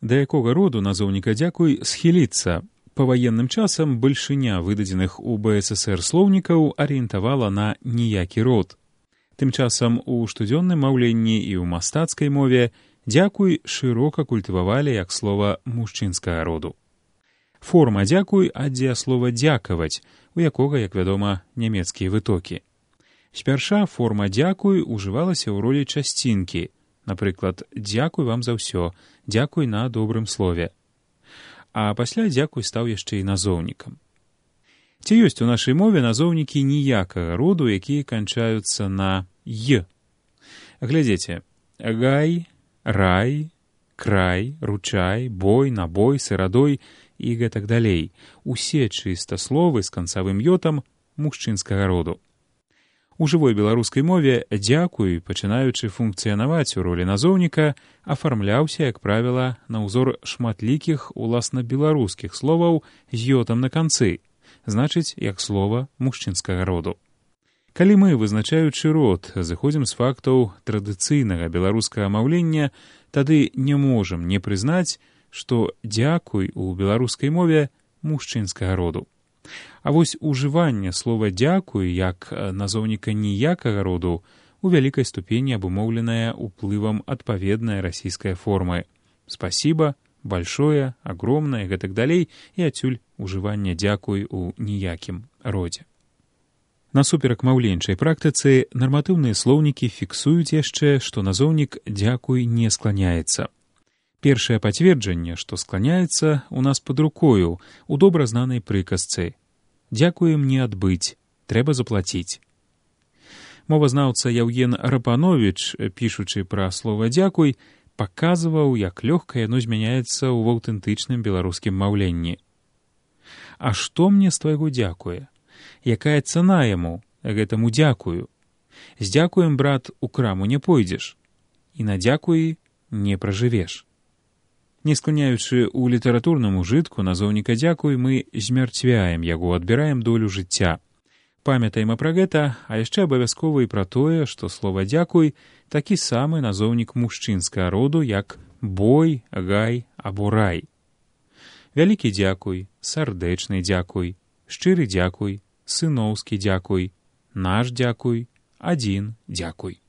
Да якога роду назоўніка «дзякуй» схіліцца? Па ваенным часам бальшыня выдадзеных у БССР слоўнікаў арыентавала на ніякі род. Тым часам у штодзённым маўленні і ў мастацкай мове «дзякуй» шырока культывавалі як слова мужчынскага роду. Форма «дзякуй» ад дзеяслова «дзякаваць», у якога, як вядома, нямецкія вытокі. Спярша форма «дзякуй» ужывалася ў ролі часцінкі, напрыклад, «дзякуй вам за ўсё», «дзякуй на добрым слове». А пасля «дзякуй» стаў яшчэ і назоўнікам. Ці ёсць у нашай мове назоўнікі ніякага роду, якія канчаюцца на «й»? Глядзіце, гай, рай, край, ручай, бой, набой, сырадой і гэтак далей. Усе чыстасловы з канцавым «ётам» мужчынскага роду. У жывой беларускай мове «дзякуй», пачынаючы функцыянаваць у ролі назоўніка, афармляўся, як правіла, на ўзор шматлікіх уласна беларускіх словаў з «ётам» на канцы, значыць, як слова мужчынскага роду. Калі мы, вызначаючы род, зыходзім з фактаў традыцыйнага беларускага маўлення, тады не можам не прызнаць, што «дзякуй» у беларускай мове мужчынскага роду. А вось ужыванне слова «дзякуй» як назоўніка ніякага роду у вялікай ступені абумоўленае ўплывам адпаведнай расійскай формы «спасибо», «большое», «огромное» і гэтак далей, і адсюль ужыванне «дзякуй» у ніякім родзе. Насуперак маўленчай практыцы, нарматыўныя слоўнікі фіксуюць яшчэ, што назоўнік «дзякуй» не скланяецца. Першае пацверджанне, што скланяецца, у нас пад рукою, у добра знанай прыказцы. «Дзякуем не адбыць, трэба заплаціць». Мовазнаўца Яўген Рапановіч, пішучы пра слова «дзякуй», паказваў, як лёгка яно змяняецца ў аўтэнтычным беларускім маўленні. А што мне з твайго дзякуе? Якая цана яму, гэтаму дзякую? З дзякуем, брат, у краму не пойдзеш, і на дзякуі не пражывеш. Не скланяючы ў літаратурным ужытку назоўніка «дзякуй», мы змярцвяем яго, адбіраем долю жыцця. Памятаем пра гэта, а яшчэ абавязкова і пра тое, што слова «дзякуй» такі самы назоўнік мужчынскага роду, як бой, гай або рай. Вялікі дзякуй, сардэчны дзякуй, шчыры дзякуй, сыноўскі дзякуй, наш дзякуй, адзін дзякуй.